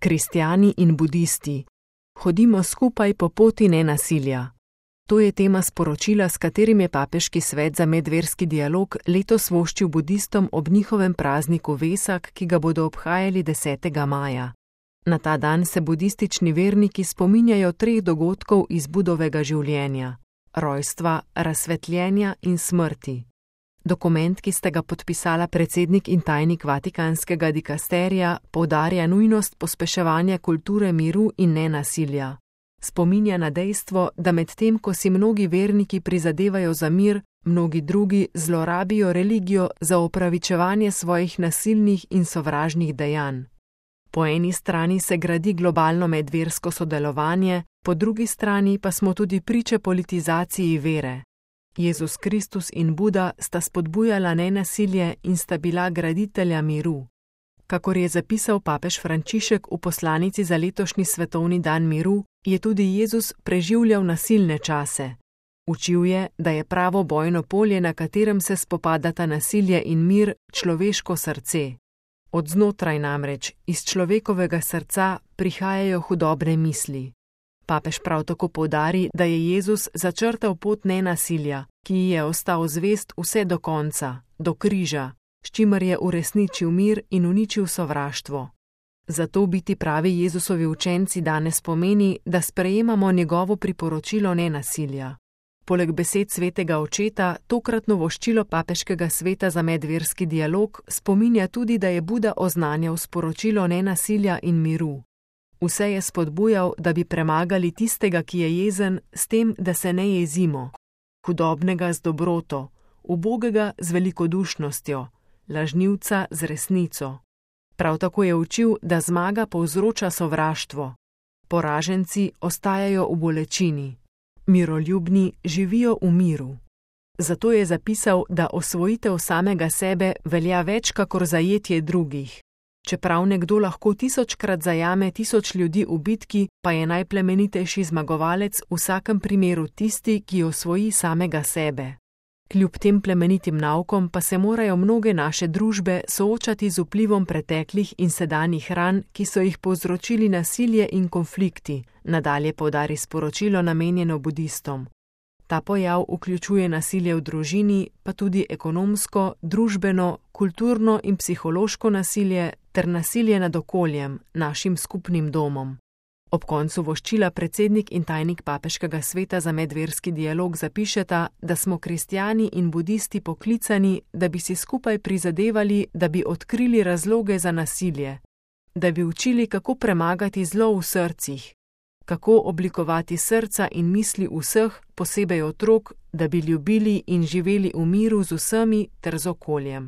Kristjani in budisti. Hodimo skupaj po poti nenasilja. To je tema sporočila, s katerim je Papeški svet za medverski dialog letos voščil budistom ob njihovem prazniku Vesak, ki ga bodo obhajali 10. maja. Na ta dan se budistični verniki spominjajo 3 dogodkov iz Budovega življenja: rojstva, razsvetljenja in smrti. Dokument, ki sta ga podpisala predsednik in tajnik Vatikanskega dikasterija, poudarja nujnost pospeševanja kulture miru in nenasilja. Spominja na dejstvo, da medtem ko si mnogi verniki prizadevajo za mir, mnogi drugi zlorabijo religijo za opravičevanje svojih nasilnih in sovražnih dejanj. Po eni strani se gradi globalno medversko sodelovanje, po drugi strani pa smo tudi priče politizaciji vere. Jezus Kristus in Buda sta spodbujala nenasilje in sta bila graditelja miru. Kakor je zapisal papež Frančišek v poslanici za letošnji svetovni dan miru, je tudi Jezus preživljal nasilne čase. Učil je, da je pravo bojno polje, na katerem se spopadata nasilje in mir, človeško srce. Od znotraj namreč, iz človekovega srca, prihajajo hudobne misli. Papež prav tako poudari, da je Jezus začrtal pot nenasilja, ki ji je ostal zvest vse do konca, do križa, s čimer je uresničil mir in uničil sovraštvo. Zato biti pravi Jezusovi učenci danes pomeni, da sprejemamo njegovo priporočilo nenasilja. Poleg besed svetega očeta, tokratno voščilo Papeškega sveta za medverski dialog spominja tudi, da je Buda oznanjal sporočilo nenasilja in miru. Vse je spodbujal, da bi premagali tistega, ki je jezen, s tem, da se ne jezimo, hudobnega z dobroto, ubogega z velikodušnostjo, lažnivca z resnico. Prav tako je učil, da zmaga povzroča sovraštvo. Poraženci ostajajo v bolečini. Miroljubni živijo v miru. Zato je zapisal, da osvojitev samega sebe velja več kakor zajetje drugih. Čeprav nekdo lahko 1000-krat zajame 1000 ljudi v bitki, pa je najplemenitejši zmagovalec v vsakem primeru tisti, ki osvoji samega sebe. Kljub tem plemenitim naukom pa se morajo mnoge naše družbe soočati z vplivom preteklih in sedanjih ran, ki so jih povzročili nasilje in konflikti, nadalje poudari sporočilo namenjeno budistom. Ta pojav vključuje nasilje v družini, pa tudi ekonomsko, družbeno, kulturno in psihološko nasilje ter nasilje nad okoljem, našim skupnim domom. Ob koncu voščila predsednik in tajnik Papeškega sveta za medverski dialog zapišeta, da smo kristjani in budisti poklicani, da bi si skupaj prizadevali, da bi odkrili razloge za nasilje, da bi učili, kako premagati zlo v srcih, kako oblikovati srca in misli vseh, posebej otrok, da bi ljubili in živeli v miru z vsemi ter z okoljem.